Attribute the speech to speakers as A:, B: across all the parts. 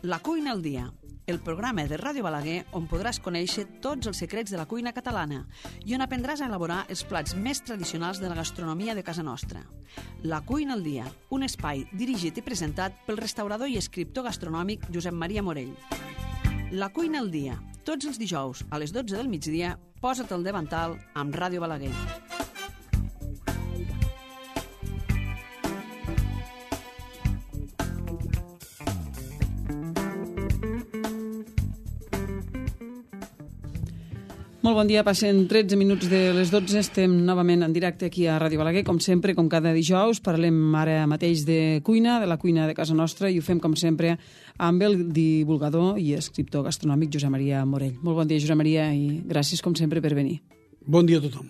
A: La cuina al dia, el programa de Ràdio Balaguer on podràs conèixer tots els secrets de la cuina catalana i on aprendràs a elaborar els plats més tradicionals de la gastronomia de casa nostra. La cuina al dia, un espai dirigit i presentat pel restaurador i escriptor gastronòmic Josep Maria Morell. La cuina al dia, tots els dijous a les 12 del migdia, posa't al davantal amb Ràdio Balaguer.
B: Molt bon dia, passen 13 minuts de les 12, estem novament en directe aquí a Ràdio Balaguer, com sempre, com cada dijous, parlem ara mateix de cuina, de la cuina de casa nostra, i ho fem, com sempre, amb el divulgador i escriptor gastronòmic Josep Maria Morell. Molt bon dia, Josep Maria, i gràcies, com sempre, per venir.
C: Bon dia a tothom.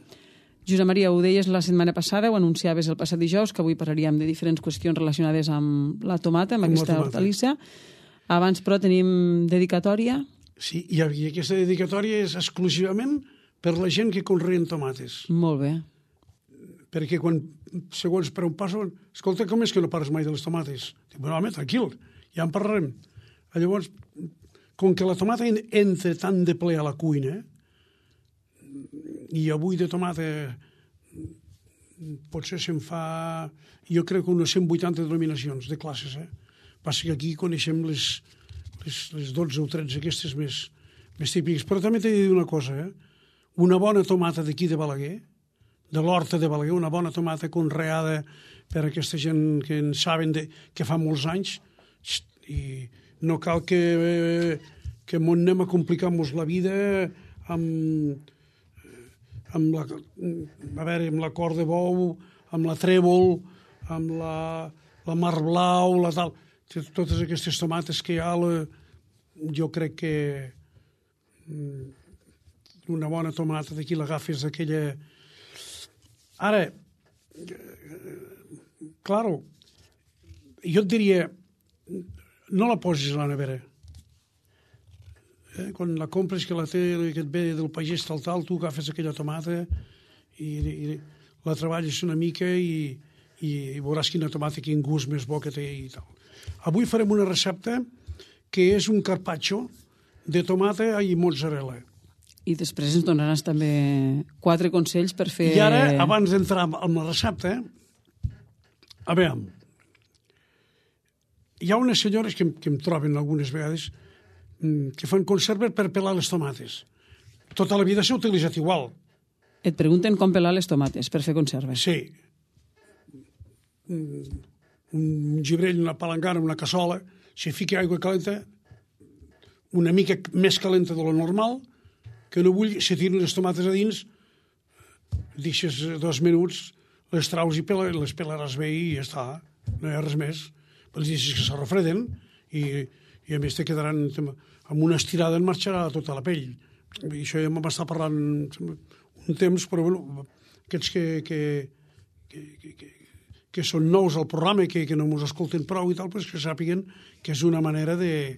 B: Josep Maria, ho deies la setmana passada, ho anunciaves el passat dijous, que avui parlaríem de diferents qüestions relacionades amb la tomata, amb aquesta hortalissa. Abans, però, tenim dedicatòria.
C: Sí, i aquesta dedicatòria és exclusivament per la gent que conreen tomates.
B: Molt bé.
C: Perquè quan, segons per on passo, escolta, com és que no parles mai de les tomates? Dic, bueno, home, tranquil, ja en parlarem. Llavors, com que la tomata entra tan de ple a la cuina, i avui de tomata potser se'n fa, jo crec que unes 180 denominacions de classes, Passa que aquí coneixem les 12 o 13 aquestes més típiques. Però també t'he de dir una cosa, Una bona tomata d'aquí de Balaguer, de l'horta de Balaguer, una bona tomata conreada per aquesta gent que en saben que fa molts anys, i no cal que m'on anem a complicar-nos la vida amb la cor de bou, amb la trèvol, amb la mar blau, la tal... Totes aquestes tomates que hi ha, jo crec que una bona tomata d'aquí l'agafes d'aquella... Ara, claro, jo et diria, no la posis a la nevera. Quan la compres, que la té, que et ve del pagès tal, tu agafes aquella tomata i la treballes una mica i veuràs quina tomata, quin gust més bo que té i tal. Avui farem una recepta que és un carpaccio de tomata i mozzarella.
B: I després ens donaràs també 4 consells per fer...
C: I ara, abans d'entrar en la recepta, a veure, hi ha unes senyores que em troben algunes vegades que fan conserves per pelar les tomates. Tota la vida s'ha utilitzat igual.
B: Et pregunten com pelar les tomates per fer conserves.
C: Sí. Un gibrell, una palangana, una cassola, si fica aigua calenta, una mica més calenta de lo normal, que no vull, se tiren les tomates a dins, deixes 2 minuts, les traus i les pelaràs bé i ja està, no hi ha res més. Les deixes que se refreden i a més te quedaran amb una estirada, en marxarà tota la pell. I això ja m'està parlant un temps, però bueno, aquests que són nous al programa, que no ens escolten prou i tal, però que sàpiguen que és una manera de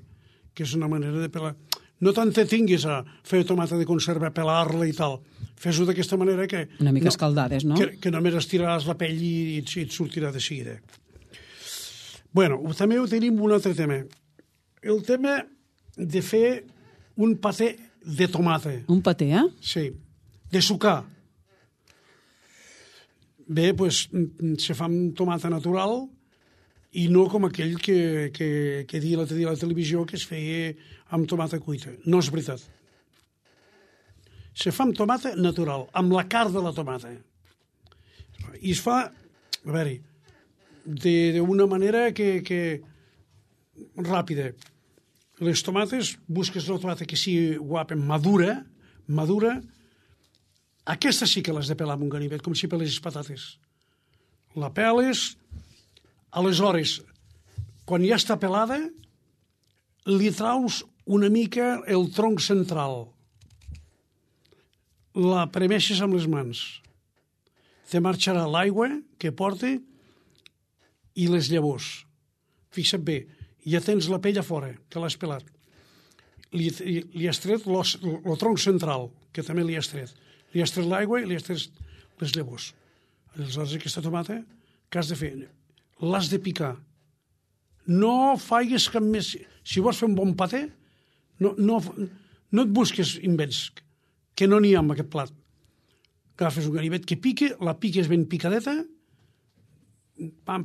C: pelar. No tant te tinguis a fer tomata de conserva, pelar-la i tal. Fes-ho d'aquesta manera que...
B: Una mica escaldades, no?
C: Que només estiraràs la pell i et sortirà de seguida. Bueno, també tenim un altre tema. El tema de fer un paté de tomata.
B: Un paté,
C: Sí, de sucar. Bé, doncs, se fa amb tomata natural i no com aquell que dia l'altre dia a la televisió que es feia amb tomata cuita. No és veritat. Se fa amb tomata natural, amb la carn de la tomata. I es fa, a veure, d'una manera que ràpida. Les tomates, busques la tomata que sigui guapa, madura, aquesta sí que l'has de pelar amb un ganivet, com si peles patates. La peles, aleshores, quan ja està pelada, li traus una mica el tronc central. La premeixes amb les mans. Te marxarà l'aigua que porta i les llavors. Fixa't bé, ja tens la pell a fora, que l'has pelat. Li has tret el tronc central, que també li has tret. Li has tret l'aigua i li has tret les llavors. Aleshores, aquesta tomata, què has de fer? L'has de picar. no faigues cap més... Si vols fer un bon paté, no et busques invents, que no n'hi ha en aquest plat. Agafes un ganivet que pique, la piques ben picadeta, pam,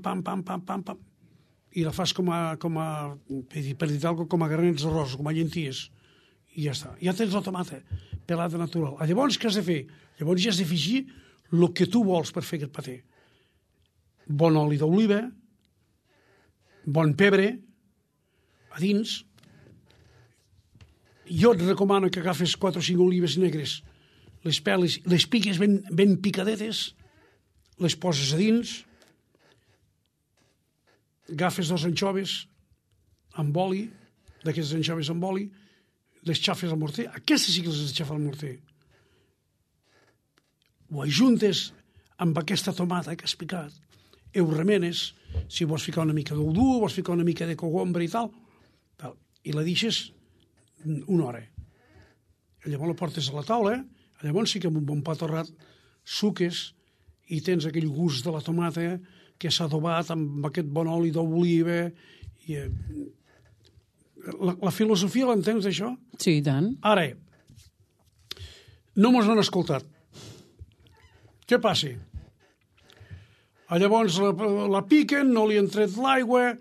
C: i la fas com a per dir alguna cosa, com a granets d'arròs, com a llenties, i ja està. Ja tens la tomata pelada natural. Llavors, què has de fer? Llavors ja has d'afegir el que tu vols per fer aquest paté. Bon oli d'oliva, bon pebre, a dins. Jo et recomano que agafes 4 o 5 olives negres, les peles, les piques ben picadetes, les poses a dins, agafes 2 anxoves amb oli, d'aquestes anxoves amb oli, les xafes al morter, aquestes sí que les has de xafar al morter. Ho ajuntes amb aquesta tomata que has picat, ho remenes, si vols ficar una mica d'ou dur, vols ficar una mica de cogombre i tal, i la deixes 1 hora. Llavors la portes a la taula, llavors sí que amb un bon pa torrat suques i tens aquell gust de la tomata que s'ha adobat amb aquest bon oli d'oliva. La filosofia l'entens, això?
B: Sí, i tant.
C: Ara, no mos han escoltat. Què passa? Llavors la piquen, no li han tret l'aigua,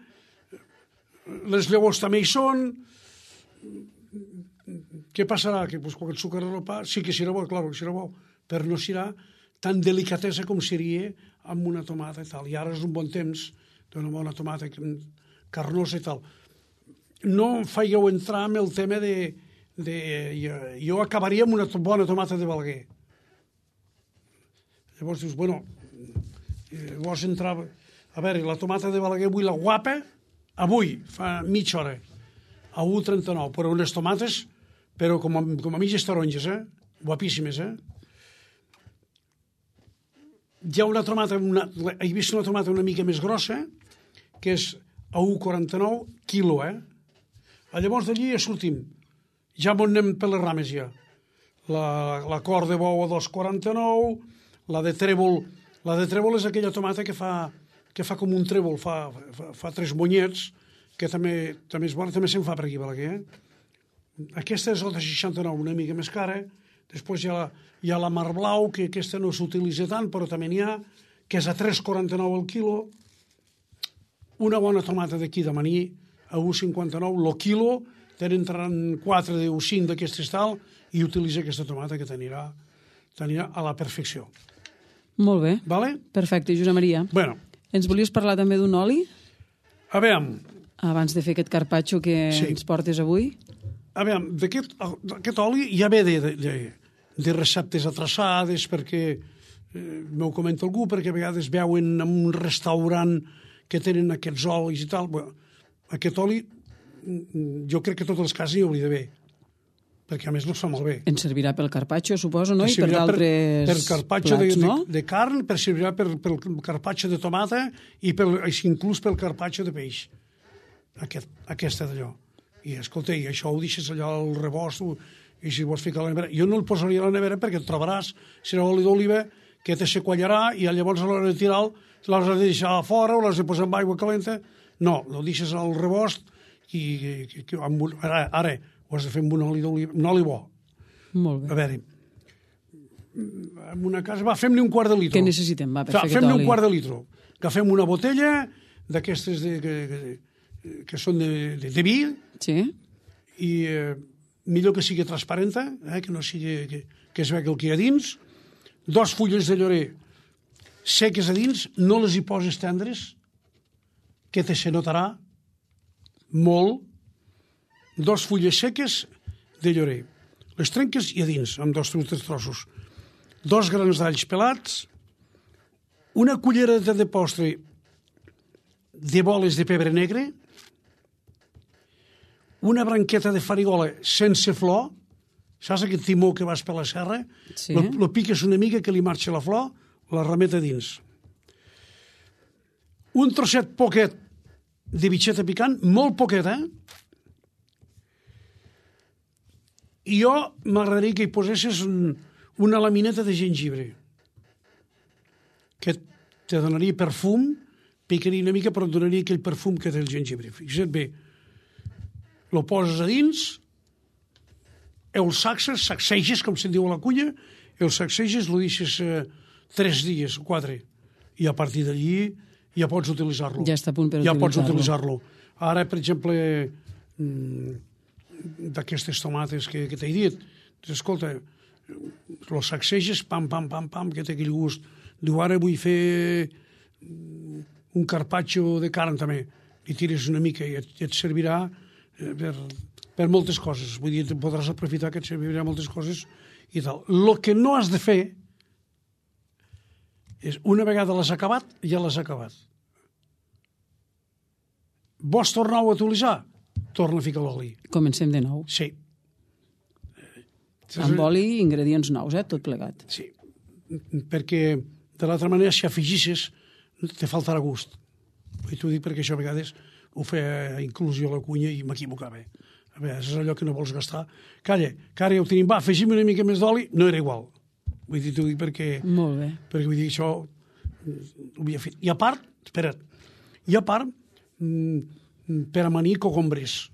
C: les llavors també hi són. Què passarà? Que quan el sucre al pa sí que serà bo, clar que serà bo, però no serà tan delicatesa com seria amb una tomata i tal. I ara és un bon temps d'una bona tomata carnosa i tal. No em fèieu entrar en el tema jo acabaria amb una bona tomata de Balaguer. Llavors dius, bueno, vols entrar... A veure, la tomata de Balaguer avui, la guapa, avui, fa mitja hora, a 1,39, però unes tomates, però com a mitges taronges, guapíssimes, Hi ha una tomata, he vist una tomata una mica més grossa, que és a 1,49 quilo, Llavors d'allí ja sortim. Ja m'ho anem per les rames, ja. La cor de bou a 2,49, la de trèvol és aquella tomata que fa com un trèvol, fa 3 monyets, que també és bona, també se'n fa per aquí, Balaguer. Aquesta és la de 69, una mica més cara. Després hi ha la mar blau, que aquesta no s'utilitza tant, però també n'hi ha, que és a 3,49 el quilo. Una bona tomata d'aquí de Maní, a 1,59 el quilo, tenen 4 o 5 d'aquestes tal, i utilitza aquesta tomata que t'anirà a la perfecció.
B: Molt bé.
C: Vale?
B: Perfecte, Josep Maria.
C: Bueno.
B: Ens volies parlar també d'un oli?
C: A veure...
B: Abans de fer aquest carpaccio que ens portes avui?
C: A veure, d'aquest oli ja ve de receptes atraçades, perquè m'ho comenta algú, perquè a vegades veuen en un restaurant que tenen aquests olis i tal. Bueno, aquest oli, jo crec que totes les cases hi hauria d'haver, perquè a més no es fa molt bé.
B: Ens servirà pel carpaccio, suposo, no? I per d'altres
C: per carpaccio
B: plats, no?
C: de carn, servirà pel carpaccio de tomata i inclús pel carpaccio de peix. Aquesta d'allò. I escolta, i això ho deixes allò al rebost, i si vols ficar a la nevera... Jo no el posaria a la nevera perquè et trobaràs, serà oli d'oliva, que te se quallarà i llavors a l'hora de tirar l'has de deixar a fora o l'has de posar amb aigua calenta. No, el deixes al rebost i ara ho has de fer amb un oli d'oliva, un oli bo.
B: Molt bé.
C: A veure, en una casa, fem-ne un quart de litro.
B: Què necessitem, per fer aquest oli?
C: Fem-ne un quart de litro. Agafem una botella d'aquestes que són de vi,
B: sí,
C: i millor que sigui transparenta, que no sigui que es vegi el que hi ha dins, 2 fulles de llorer seques a dins, no les hi poses tendres, que te se notarà molt, 2 fulles seques de llorer, les trenques i a dins, amb 2 o 3 trossos, 2 grans d'alls pelats, una cullereta de postre de boles de pebre negre, una branqueta de farigola sense flor, saps aquest timó que vas per la serra?
B: Sí.
C: Lo piques una mica que li marxa la flor, la remet a dins. Un trosset poquet de bitxeta picant, molt poquet, I jo m'agradaria que hi posessis una lamineta de gengibre, que te donaria perfum, picaria una mica, però et donaria aquell perfum que té el jengibre. Fixa't bé, lo poses a dins, el sacseges, com se'n diu a la cuina, el sacseges, lo deixes 3 dies o 4, i a partir d'allí ja pots utilitzar-lo.
B: Ja està a punt per
C: ja pots utilitzar-lo. Ara, per exemple, d'aquestes tomates que t'he dit, escolta, los sacseges, pam, pam, pam, pam, que té aquell gust. Diu, ara vull fer un carpaccio de carn també. Li tires una mica i et servirà per moltes coses. Vull dir, podràs aprofitar que et servirà moltes coses i tal. El que no has de fer és, una vegada l'has acabat, ja l'has acabat. Vols tornar-ho a utilitzar? Torna a ficar l'oli.
B: Comencem de nou.
C: Sí.
B: Amb oli i ingredients nous, tot plegat.
C: Sí, perquè de l'altra manera, si afegisses, te faltarà gust. I t'ho dic perquè això a vegades ho feia inclusió a la cuina i m'equivocava. A vegades és allò que no vols gastar. Calla, que ara ja ho tenim, va, afegim una mica més d'oli, no era igual. Vull dir, t'ho dic perquè...
B: Molt bé.
C: Perquè vull dir, això ho havia fet. I a part, espera't, per amanir cogombres.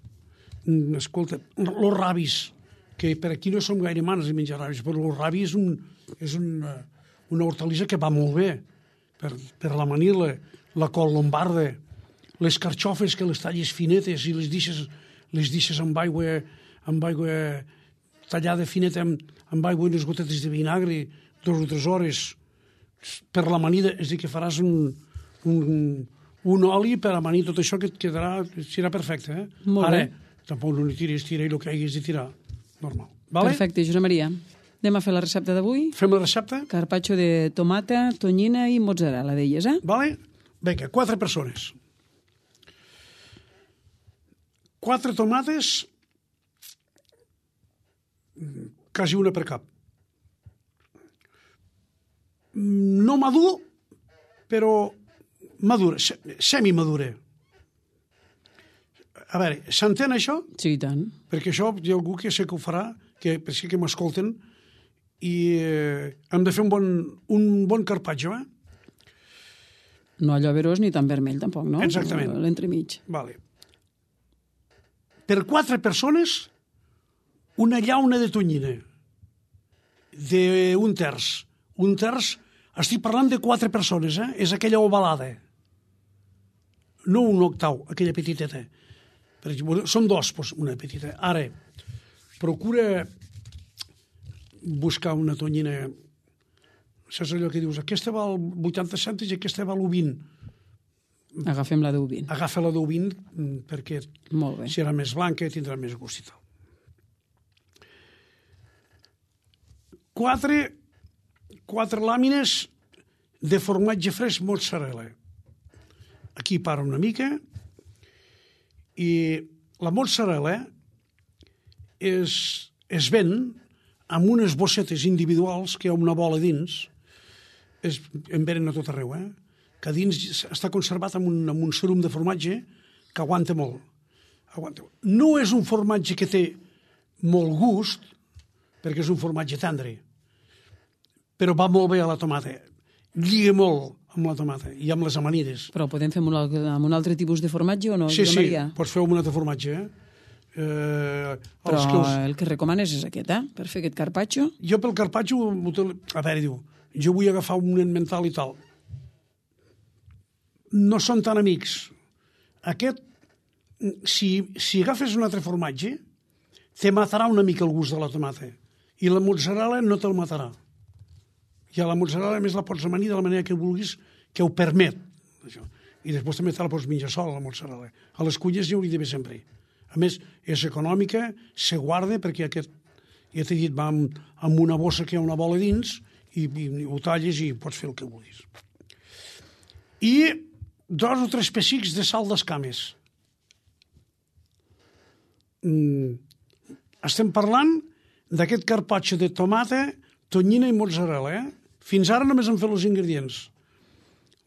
C: Escolta, los rabis, que per aquí no som gaire manes de menjar rabis, però el rabi és una hortalissa que va molt bé per l'amanir, la col lombarda, les carxofes que les talles finetes i les deixes amb aigua tallada fineta, amb aigua i unes gotetes de vinagre 2 o 3 hores per l'amanida, és a dir, que faràs un oli per amanir tot això que et quedarà, serà perfecte.
B: Molt
C: ara,
B: bé.
C: tampoc no li tiris, tira i el que haguis de tirar. Normal. Vale?
B: Perfecte, Josep Maria. Anem a fer la recepta d'avui.
C: Fem la recepta?
B: Carpaccio de tomata, tonyina i mozzarella, deies,
C: Vale? Vinga, 4 persones. 4 tomates, quasi una per cap. No madur, però madura, semimadura. A veure, s'entén això?
B: Sí, i tant.
C: Perquè això hi ha algú que sé que ho farà, que m'escolten, i hem de fer un bon carpaccio,
B: No allò verós ni tan vermell, tampoc, no?
C: Exactament.
B: L'entremig.
C: Vale. Per 4 persones, una llauna de tonyina d'un terç. Un terç, estic parlant de 4 persones, és aquella ovalada. No un octau, aquella petiteta. Per exemple, són 2, doncs, una petita. Ara, procura buscar una tonyina. Saps allò que dius, aquesta val 80 cèntims i aquesta val 20.
B: Agafem la d'20.
C: Agafa la d'20 perquè
B: Molt bé.
C: serà més blanca i tindrà més gust i tal. 4 làmines de formatge fresc mozzarella. Aquí para una mica i la mozzarella es ven amb unes bossetes individuals que hi ha una bola dins, en venen a tot arreu, que dins està conservat amb un serum de formatge que aguanta molt. No és un formatge que té molt gust, perquè és un formatge tendre, però va molt bé a la tomata. Lliga molt amb la tomata i amb les amanides.
B: Però podem fer amb un altre tipus de formatge o no?
C: Sí, pots fer amb un altre formatge.
B: Però el que recomanes és aquest, per fer aquest carpaccio?
C: Jo pel carpaccio, a veure, diu, jo vull agafar un nen mental i tal. No són tan amics. Aquest, si agafes un altre formatge, te matarà una mica el gust de la tomata. I la mozzarella no te'l matarà. I a la mozzarella, a més, la pots amanir de la manera que vulguis, que ho permet. Això. I després també te la pots menjar sola, la mozzarella. A les cuines hi hauria d'haver sempre. A més, és econòmica, se guarda, perquè aquest, ja t'he dit, va amb una bossa que hi ha una bola dins, i ho talles i pots fer el que vulguis. I 2 o 3 pessics de sal d'escames. Estem parlant d'aquest carpaccio de tomata, tonyina i mozzarella. Fins ara només hem fet els ingredients.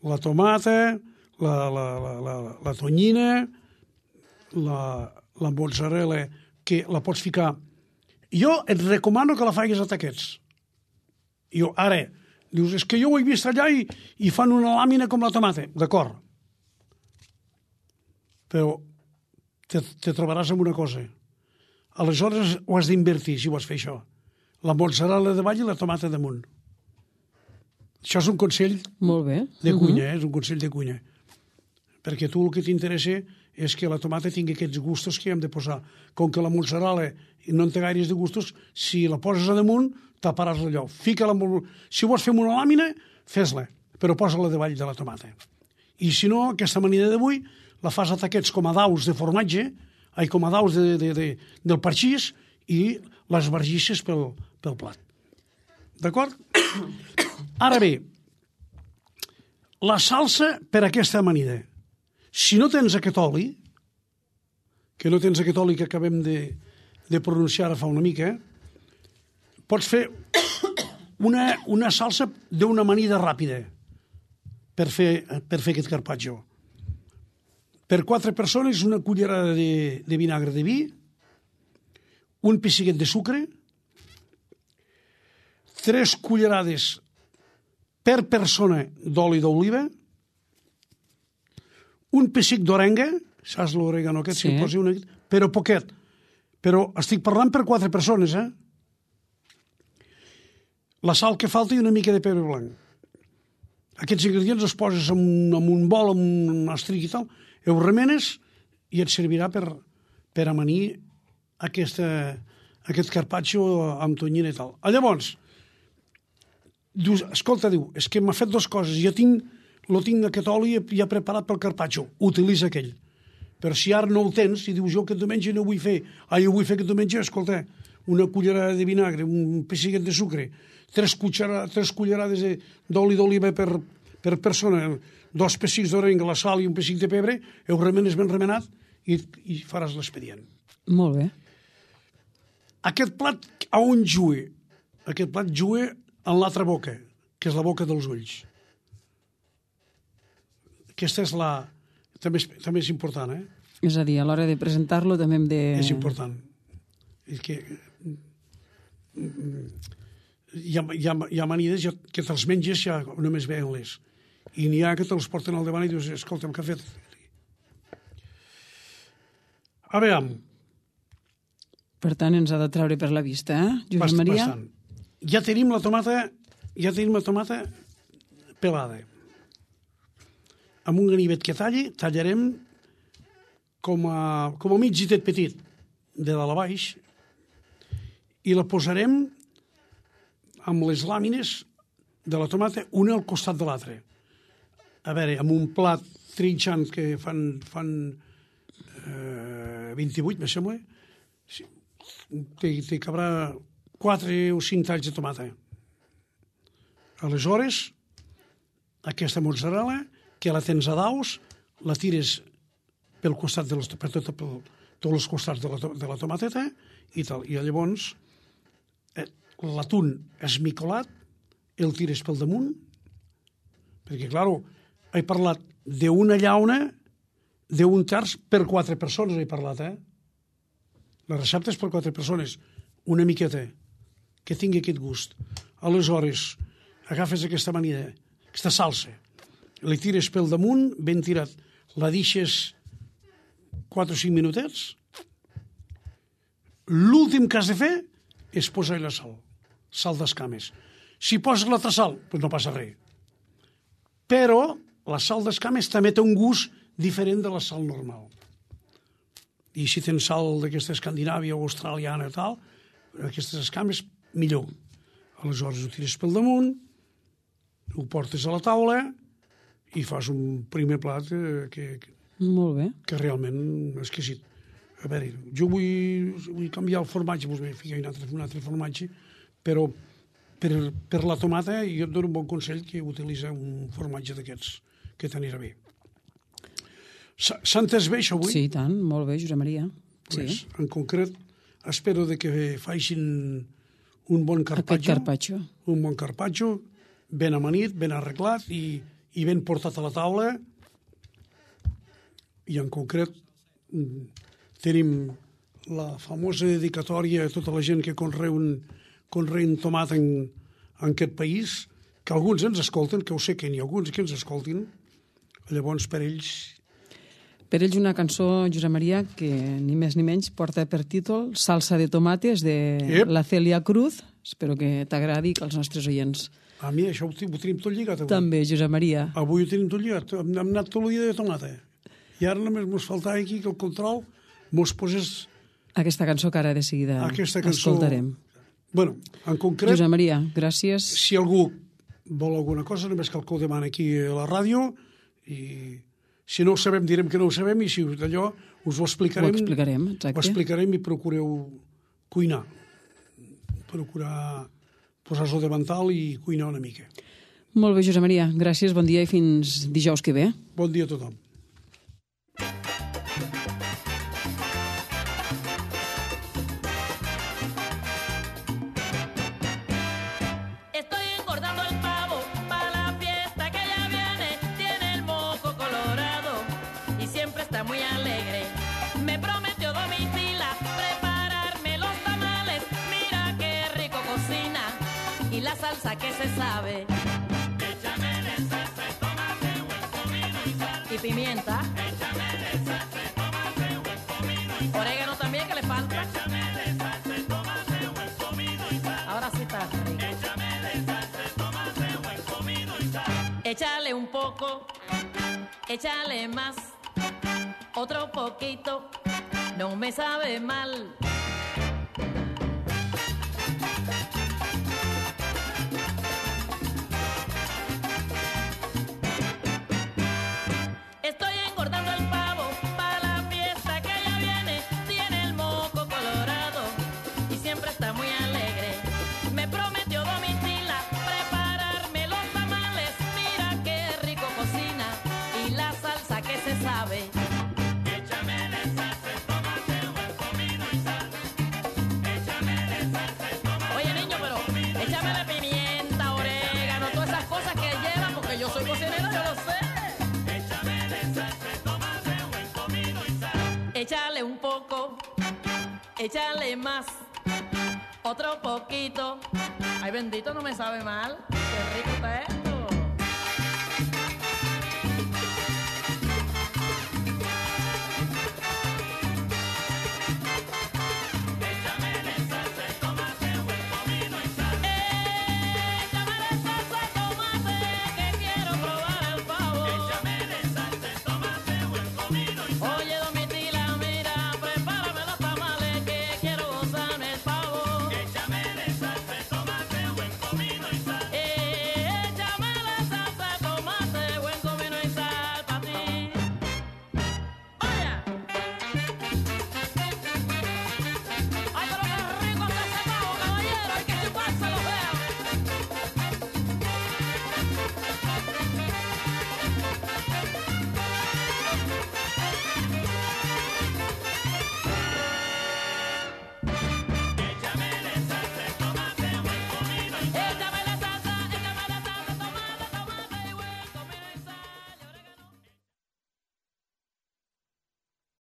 C: La tomata, la tonyina, la mozzarella, que la pots ficar. Jo et recomano que la facis a taquets. Ara, dius, és que jo ho he vist allà i fan una làmina com la tomata. D'acord, però te trobaràs amb una cosa. Aleshores ho has d'invertir, si vols fer això. La mozzarella de avall i la tomata damunt. Això és un consell
B: Molt bé.
C: de cuina, és un consell de cuina. Perquè tu el que t'interessa és que la tomata tingui aquests gustos que hi hem de posar. Com que la mozzarella no en té gaires de gustos, si la poses a damunt, taparàs allò. Fica-la si vols fer una làmina, fes-la, però posa-la davall de la tomata. I si no, aquesta amanida d'avui la fas a taquets com a daus de formatge, com a daus del parxís, i les bargisses pel plat. D'acord? Ara bé, la salsa per a aquesta amanida. Si no tens aquest oli, que acabem de pronunciar fa una mica, pots fer una salsa d'una amanida ràpida per fer aquest carpaccio. Per 4 persones, una cullerada de vinagre de vi, un pessiguet de sucre, 3 cullerades per persona d'oli d'oliva, un pessic d'orenga, saps l'orégano aquest?
B: Sí.
C: Posi però poquet. Però estic parlant per 4 persones, La sal que falta i una mica de pebre blanc. Aquests ingredients els poses en un bol, en un estric i tal, ho remenes i et servirà per amanir aquest carpaccio amb tonyina i tal. Llavors, dius, escolta, és que m'ha fet 2 coses, jo tinc aquest oli ja preparat pel carpaccio, utilitza aquell. Però si ara no el tens, i dius, jo aquest diumenge no vull fer, jo vull fer aquest diumenge, escolta, una cullerada de vinagre, un pessiguet de sucre, 3 cullerades d'oli d'oliva per persona, 2 pessics d'orenga, la sal i un pessic de pebre, ho remenes ben remenat i faràs l'expedient.
B: Molt bé.
C: Aquest plat, a on juga? Aquest plat juga en l'altra boca, que és la boca dels ulls. Aquesta és també és important,
B: És a dir, a l'hora de presentar-lo també hem de...
C: És important. És que hi ha amanides que te'ls menges ja només veient-les. I n'hi ha que te'ls porten al davant i dius, escolta'm, què ha fet? A veure...
B: Per tant, ens ha de treure per la vista, Josep Maria?
C: Bastant. Ja tenim la tomata pelada. Amb un ganivet que tallarem com a mig gitet petit, de dalt a baix, i la posarem amb les làmines de la tomata una al costat de l'altra. A veure, amb un plat trinxant que fan 28, me sembla, t'hi cabrà 4 o 5 talls de tomata. Aleshores, aquesta mozzarella, que la tens a daus, la tires pel costat per tots els costats de la tomateta i tal. I llavors l'atún esmicolat el tires pel damunt, perquè, clar, he parlat d'una llauna d'un terç per 4 persones, he parlat, La recepta és per 4 persones, una miqueta, que tingui aquest gust. Aleshores, agafes aquesta amanida, aquesta salsa, la tires pel damunt, ben tirat, la deixes 4 o 5 minutets. L'últim que has de fer és posar-hi la sal d'escames. Si poses l'altra sal, doncs no passa res. Però la sal d'escames també té un gust diferent de la sal normal. I si tens sal d'aquesta escandinàvia o australiana i tal, aquestes escames, millor. Aleshores ho tires pel damunt, ho portes a la taula i fas un primer plat
B: Molt bé.
C: que realment és exquisit. A veure, jo vull canviar el formatge, doncs m'he ficat un altre formatge, però per la tomata jo et dono un bon consell que utilitza un formatge d'aquests, que t'anirà bé. S'ha entès bé això avui?
B: Sí, tant, molt bé, Josep Maria.
C: Pues, en concret, espero que facin un bon carpaccio.
B: Aquest carpaccio.
C: Un bon carpaccio, ben amanit, ben arreglat i ben portat a la taula. I en concret tenim la famosa dedicatòria a tota la gent que conreen tomata en aquest país, que alguns ens escolten, que ho sé que n'hi ha alguns que ens escoltin, llavors per ells
B: Per ells una cançó, Josep Maria, que ni més ni menys porta per títol Salsa de tomates, de la Celia Cruz. Espero que t'agradi, que els nostres oients...
C: A mi això ho tenim tot lligat avui.
B: També, Josep Maria.
C: Avui ho tenim tot lligat. Hem anat tot el dia de tomata. I ara només mos faltava aquí que el control mos posés...
B: Aquesta cançó que ara de seguida escoltarem.
C: Bueno, en concret...
B: Josep Maria, gràcies.
C: Si algú vol alguna cosa, només cal que ho demani aquí a la ràdio i... Si no ho sabem, direm que no ho sabem, i si d'allò us ho explicarem.
B: Ho explicarem, exacte.
C: Ho explicarem i procureu cuinar. Procurar posar-vos de davantal i cuinar una mica.
B: Molt bé, Josep Maria. Gràcies, bon dia i fins dijous que ve.
C: Bon dia a tothom.
D: La salsa que se sabe. Échamele salsa de tomate, buen comino y sal. Y pimienta. Échamele salsa de tomate, buen comino y sal. Orégano también que le falta. Échamele salsa de tomate, buen comino y sal. Ahora sí está rico. Échamele salsa de tomate, buen comino y sal. Échale un poco, échale más, otro poquito, no me sabe mal. Échale un poco, échale más, otro poquito. Ay, bendito, no me sabe mal. Qué rico está, ¿eh?